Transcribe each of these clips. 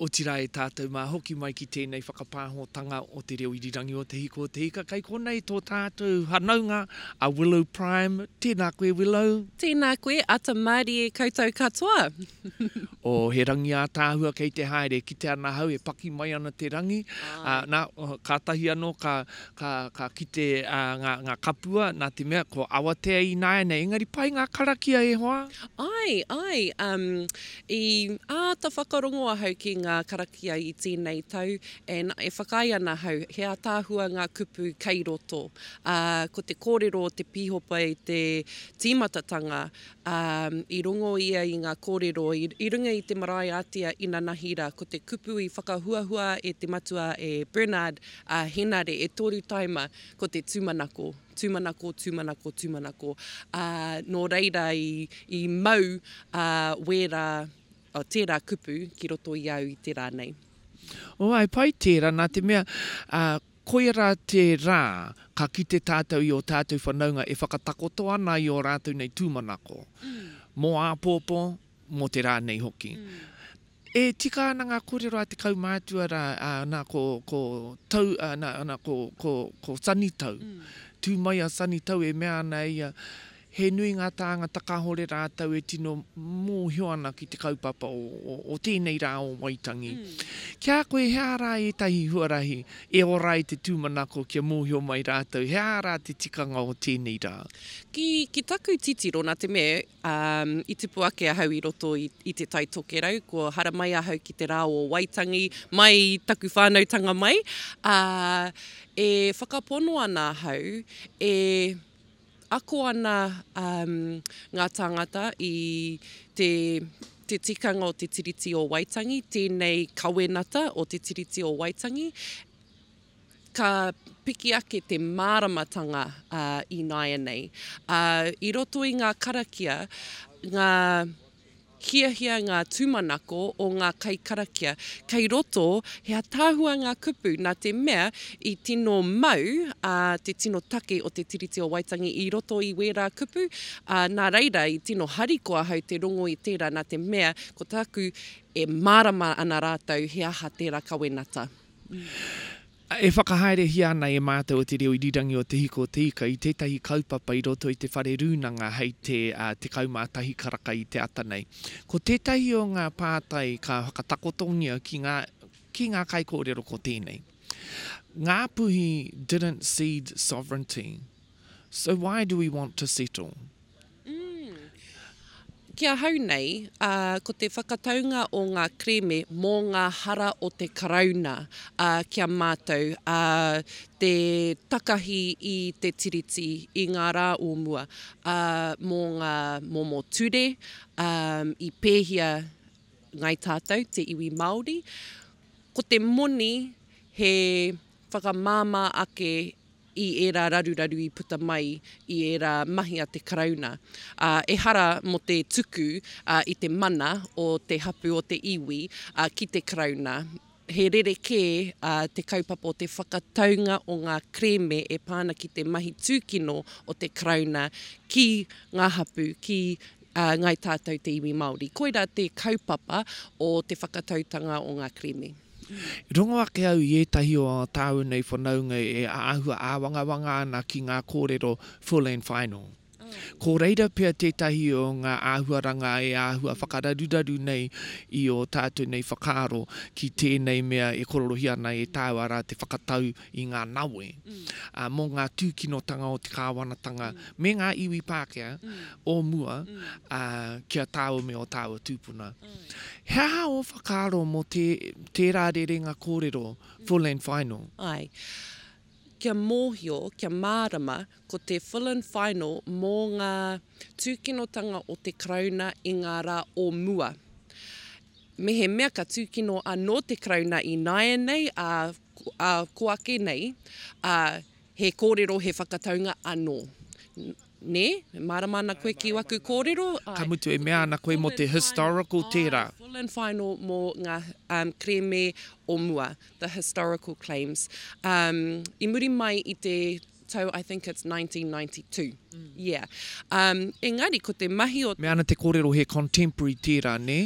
Otirā e tātou mā, hoki mai ki tēnei whakapāhotanga o te reo irirangi o Te Hiko o Te Ika. Kei konei tō tātou whanaunga a Willow Prime. Tēnā koe Willow. Tēnā koe, ata mārie koutou katoa. Oh, he rangi ātaahua kei te haere, kite ana ahau e paki mai ana te rangi. Ā, nā, kātahi anō ka, ka, ka kite ngā, ngā kapua, nā te mea ko Awatea ināianei, engari pai ngā karakia e hoa. Āe, āe, um, I āta whakarongo ahau ki ngā karakia i tēnei tau and e whakaae ana ahau he ātaahua ngā kupu kei roto. Ā, ko te kōrero o te pīhopa i te tīmatatanga, ā, i rongo ia i ngā kōrero i, i runga i te marae ātea inanahi rā, ko te kupu i whakahuahua e te matua e Bernard, ā, Henare, e toru taima, ko te tūmanako. Tūmanako, tūmanako, tūmanako. Ā, nō reira i, i mau, ā, wērā, ā, tērā kupu ki roto i au i te rā nei. Oh, āe, pai tērā, nā te mea, ā, koia rā te rā ka kite tātou i ō tātou whanaunga e whakatakoto ana i ō rātou nei tūmanako, mō āpōpō, mō te rā nei hoki. E tika ana ngā kōrero a te kaumātua rā, ā, nā, ko, ko Tau, ā, nā, nā, ko, ko, ko Sonny Tau. Tū mai a Sonny Tau e mea ana ia, he nui ngā tāngata kāore rātou e tino mōhio ana ki te kaupapa o, o, o tēnei rā o Waitangi. Ki a koe, he aha rā ētahi huarahi e ora ai te tūmanako kia mōhio mai rātou, he aha rā te tikanga o tēnei rā? Ki, ki taku titiro, nā te mea, Ā, i tupu ake ahau i roto i, i Te Tai Tokerau, kua haramai ahau ki te rā o Waitangi mai i taku whānautanga mai, ā, e whakapono ana ahau, e ako ana ngā tāngata i te, te tikanga o te Tiriti o Waitangi, tēnei kawenata o te Tiriti o Waitangi, Ka piki ake te māramatanga ināianei. I roto i ngā karakia, ngā hiahia, ngā tūmanako o ngā kaikarakia. Kei roto, he ataahua ngā kupu nā te mea i tino mau te tino take o te Tiriti o Waitangi i roto i wērā kupu, nā reira i tino harikoa ahau te rongo i tērā nā te mea ko tāku e mārama ana rātou he aha tērā kawenata. E whakahaerehia ana e mātou o Te Reo Irirangi o Te Hiko o Te Ika i tētahi kaupapa i roto i te whare rūnanga hei te 11 karaka i te ata nei. Ko tētahi o ngā pātai ka whakatakotongia ki ngā, ki ngā kaikōrero ko tēnei, Ngāpuhi didn't cede sovereignty, so why do we want to settle? Ki ahau nei, ko te whakataunga o ngā kerēme mō ngā hara o te Karauna ki a mātou, te takahi i te Tiriti i ngā rā o mua, mō ngā momo ture i pēhia Ngāi Tātou, te iwi Māori. Ko te moni he whakamāmā ake i ērā raruraru i puta mai i ērā mahi a te Karauna, ā, ehara mō te tuku i te mana o te hapū o te iwi ki te Karauna. He rerekē te kaupapa o te whakataunga o ngā kerēme e pā ana ki te mahi tūkino o te Karauna ki ngā hapū, ki Ngāi Tātou te iwi Māori. Koirā te kaupapa o te whakatautanga o ngā kerēme. Rongo ake au i ētahi o ā tāua nei whanaunga e āhua āwangawanga ana ki ngā kōrero full and final. Ko reira pea tētahi o ngā āhuaranga e āhua whakararuraru nei i ō tātou nei whakaaro ki tēnei mea e kororohia ana e tāua arā te whakatau i ngā nawe mō ngā tūkinotanga o te kāwanatanga me ngā iwi Pākehā o mua ki a tāua me ō tāua tūpuna. He aha ō whakaaro mō tērā rerenga kōrero, full and final? Āe. Kia mōhio, kia mārama, ko te full and final mō ngā tūkinotanga o te Karauna i ngā rā o mua. Mehemea ka tūkino anō te Karauna ināianei, ā, ā, ko ake nei, ā, he kōrero, he whakataunga anō. Nē? E mārama ana koe ki waku kōrero? Ka mutu e mea ana koe mō te historical tērā. Āe, full and final mō ngā kerēme o mua, the historical claims. I muri mai i te tau I think it's 1992, yeah. Engari ko te mahi o. Mea ana te kōrero he contemporary tērā, nē?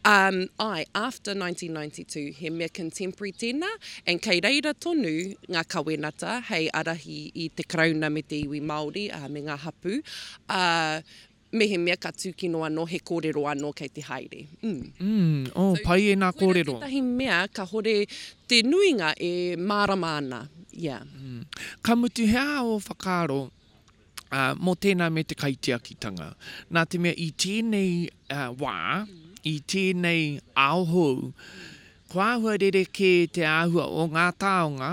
Um, āe, after 1992, he mea contemporary tēnā, and kei reira tonu ngā kawenata hei ārahi i te Karauna me te iwi Māori, ā, me ngā hapū, ā, mehemea ka tūkino anō, he kōrero anō kei te haere. Mm. Mm, oh, pai ēnā kōrero. Koirā tētahi mea kahore te nuinga e mārama ana, yeah. Mm. Ka mutu, he aha ō whakaaro ā, mō tēnā me te kaitiakitanga? Nā te mea i tēnei wā, i tēnei ao hou, kua āhua rerekē te āhua o ngā taonga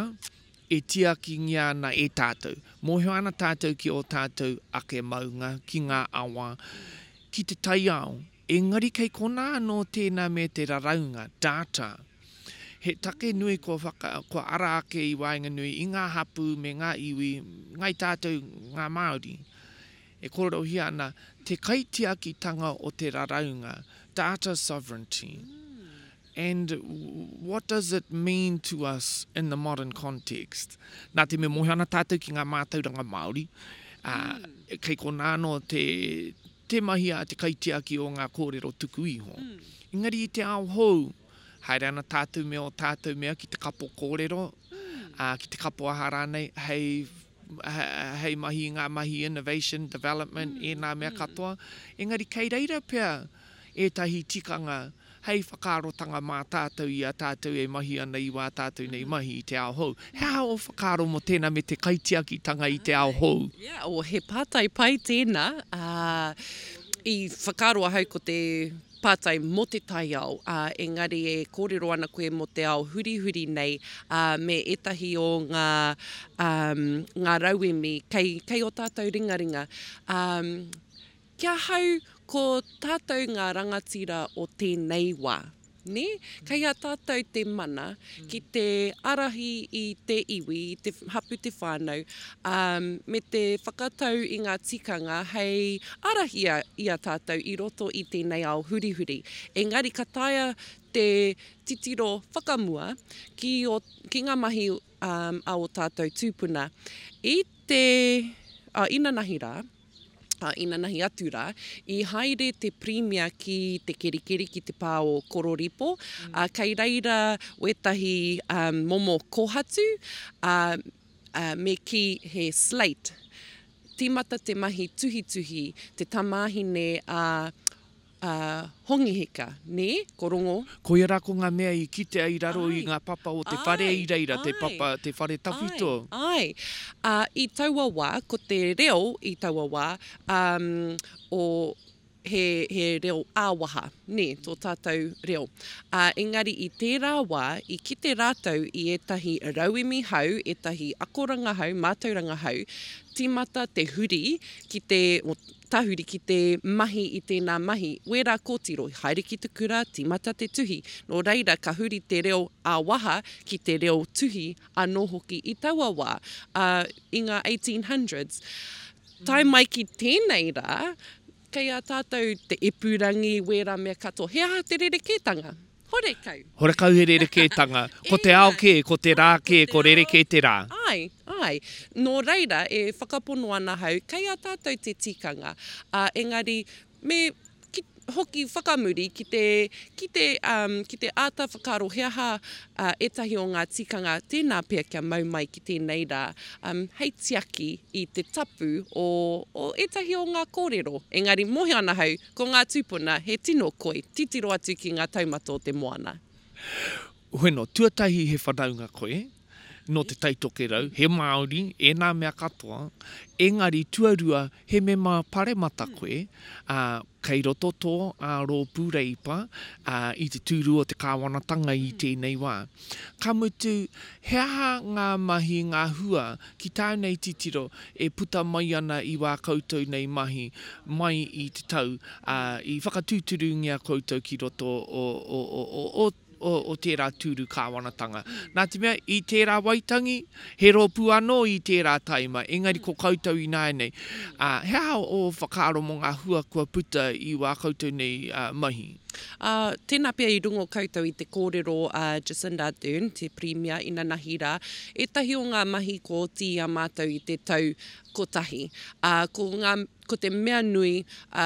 e tiakingia ana e tātou. Mōhio ana tātou ki ō tātou ake maunga, ki ngā awa, ki te taiao. Engari kei konā anō tēnā me te raraunga, data. He take nui kua whaka, kua ara ake i waenganui i ngā hapū me ngā iwi, ngai tātou ngā Māori. E kōrerohia ana te kaitiakitanga o te raraunga, data sovereignty. And what does it mean to us in the modern context? Nā te mea mōhio ana tātou ki ngā mātauranga Māori, ā, kei konā anō te, te mahi a te kaitiaki o ngā kōrero tuku iho. Engari i te ao hou, haere ana tātou me ō tātou mea ki te kapo kōrero, ā, ki te kapo aha rānei, hei, hei mahi i ngā mahi innovation, development, ēnā mea katoa. Engari kei reira pea ētahi tikanga hei whakaarotanga mā tātou i a tātou e mahi ana i wā tātou nei mahi i te ao hou. He aha ō whakaaro mō tēnā me te kaitiakitanga i te ao hou? Yeah, oh, he pātai pai tēnā. Ā, i whakaaro ahau ko te pātai mō te taiao, ā, engari e kōrero ana koe mō te ao hurihuri nei, ā, me ētahi o ngā, ā, ngā rauemi kei, kei ō tātou ringaringa. Ā, Ki ahau, ko tātou ngā rangatira o tēnei wā, nē? Kei a tātou te mana ki te ārahi i te iwi, i te hapū, te whānau, ā, me te whakatau i ngā tikanga hei ārahi i a tātou i roto i tēnei ao hurihuri. Engari ka taea te titiro whakamua ki ō, ki ngā mahi a ō tātou tūpuna. I te, ā, inanahi rā, ā, inanahi atu rā, i haere te Pirimia ki te kerikeri ki te pā o Kororipo, ā, kei reira wētahi momo kōhatu, ā, ā, me kī he slate. Tīmata te mahi tuhituhi, te tamāhine a a Hongi Hika, nē, ko Rongo. Koia rā ko ngā mea i kitea i raro i ngā papa o te whare i reira, te papa, te whare tawhito. Āe, āe. Ā, i taua wā, ko te reo i taua wā, ā, o, he, he reo ā-waha, nē, tō tātou reo. Ā, engari i tērā wā, i kite rātou i ētahi rauemi hou, ētahi akoranga hou, mātauranga hou, tīmata te huri ki te, Tahuri ki te mahi i tēnā mahi. Wērā kōtiro, haere ki te kura, tīmata te tuhi. Nō reira, ka huri te reo ā-waha ki te reo tuhi anō hoki i taua wā, ā, i ngā 1800s. Tae mai ki tēnei rā, kei a tātou te ipurangi, wērā mea katoa. He aha te rerekētanga? Horekau. Horekau he rerekētanga. Ko te ao kē, ko te rā kē, ko rerekē te rā. Āe, āe. Nō reira, e whakapono ana ahau, kei a tātou te tikanga, ā, engari, me ki, hoki whakamuri ki te, ki te, um, ki te āta whakaaro he aha uh, ētahi o ngā tikanga tēnā pea kia mau mai ki tēnei rā, um, hei tiaki i te tapu o, o ētahi o ngā kōrero. Engari, mōhio ana ahau, Ko ngā tūpuna he tino koi, titiro atu ki ngā taumata o te moana. Bueno, tuatahi he whanaunga koe, nō Te Tai Tokerau, he Māori, ēnā mea katoa, engari tuarua he mema paremata koe, ā, kei roto tō rōpū Reipa i te tūru o te kāwanatanga i tēnei wā. Ka mutu, he aha ngā mahi, ngā hua ki tāu nei titiro e puta mai ana i wā koutou nei mahi mai i te tau, ā, i whakatūturungia koutou ki roto o, o, o, o, o, o, o tērā tūru kāwanatanga. Nā te mea, i tērā Waitangi, he rōpū anō i tērā taima, engari ko koutou ināianei. Ā, he aha ō whakaaro mō ngā hua kua puta i wā koutou nei mahi? Ā, tēnā pea i rongo koutou i te kōrero a Jacinda Ardern, te Pirimia inanahi rā, ētahi o ngā mahi kua oti i a mātou i te tau kotahi. Ā, ko ngā, ko te mea nui, ā,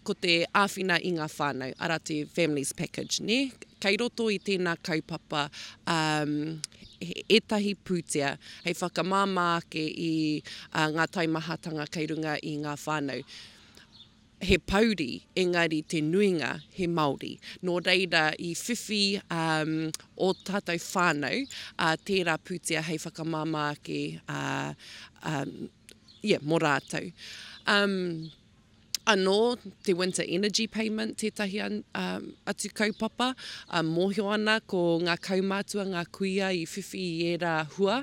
Ko te āwhina i ngā whānau, arā te Families Package, nē? Kei roto i tēnā kaupapa um, ētahi pūtea hei whakamāmā ake i uh, ngā taimahatanga kei runga i ngā whānau. He pouri, engari te nuinga he Māori. Nō reira i whiwhi um, ō tātou whānau uh, tērā pūtea hei whakamāmā ake uh, um, yeah, mō rātou. Um, Anō te Winter Energy Payment tētahi atu kaupapa. Mōhio ana ko ngā kaumātua, ngā kuia i whiwhi i ērā hua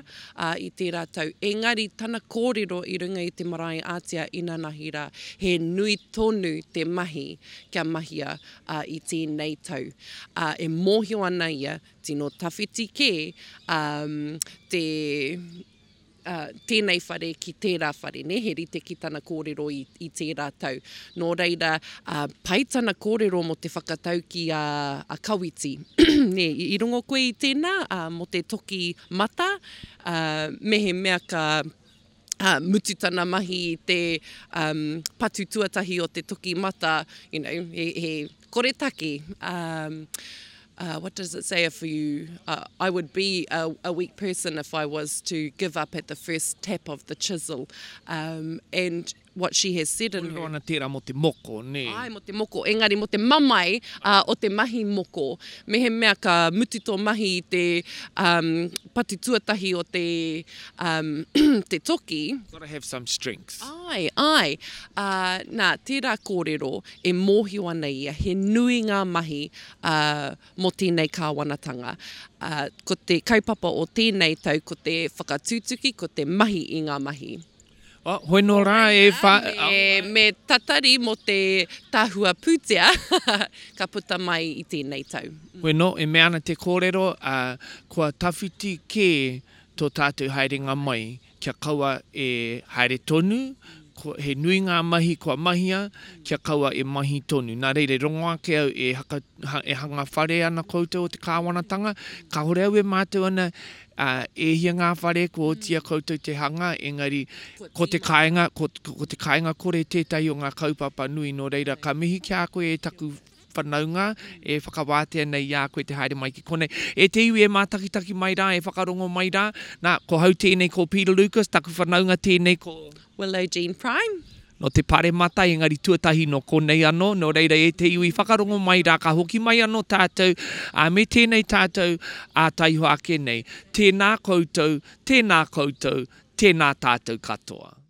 i tērā tau. Engari tana kōrero i runga i te marae ātea inanahi rā, he nui tonu te mahi kia mahia i tēnei tau. E mōhio ana ia, tino tawhiti kē te tēnei whare ki tērā whare, nē, he rite ki tana kōrero i, i tērā tau. Nō reira, uh, pai tana kōrero mō te whakataukī a, a Kawiti. nē, i, i rongo koe i tēnā, uh, mō te toki mata, uh, mehemea ka uh, mutu tana mahi i te um, patu tuatahi o te toki mata, you know, he, he koretake. Um, uh, what does it say if you, uh, I would be a, a weak person if I was to give up at the first tap of the chisel. Um, and what she has said in her... Kōrero ana tērā mō te moko, nē? Āe, mō te moko, engari mō te mamae uh, o te mahi moko. Mehemea ka mutu tō mahi i te um, patu tuatahi o te, um, te toki. Gotta have some strength. Āe, āe. Uh, nā, tērā kōrero e mōhio ana ia, he nui ngā mahi ā, mō tēnei kāwanatanga. Ā, ko te kaupapa o tēnei tau ko te whakatutuki, ko te mahi i ngā mahi. Oh, hoi nō rā e wha... Me, me tatari mō te tahua pūtea ka puta mai i tēnei tau. Hoi nō, e mea ana te kōrero, ā, kua tawhiti kē tō tātou haerenga mai kia kaua e haere tonu, he nui ngā mahi kua mahia, kia kaua e mahi tonu. Nā reira, i rongo ake au e haka, e hanga whare ana koutou o te kāwanatanga, kāore au e mātau ana, ā, e hia ngā whare kua otia koutou te hanga, engari ko te kāinga, ko, ko te kāinga kore tētahi o ngā kaupapa nui, nō reira, ka mihi ki a koe e taku whanaunga e whakawātea nei i a koe te haere mai ki konei. E te iwi e mātakitaki mai rā, e whakarongo mai rā, nā, ko hau tēnei ko Peter Lucas, taku whanaunga tēnei ko. Willow Jean Prime. Nō te Paremata, engari tuatahi nō konei anō, nō reira e te iwi whakarongo mai rā, ka hoki mai anō tātou, ā, me tēnei tātou ā taihoa ake nei. Tēnā koutou, tēnā koutou, tēnā tātou katoa.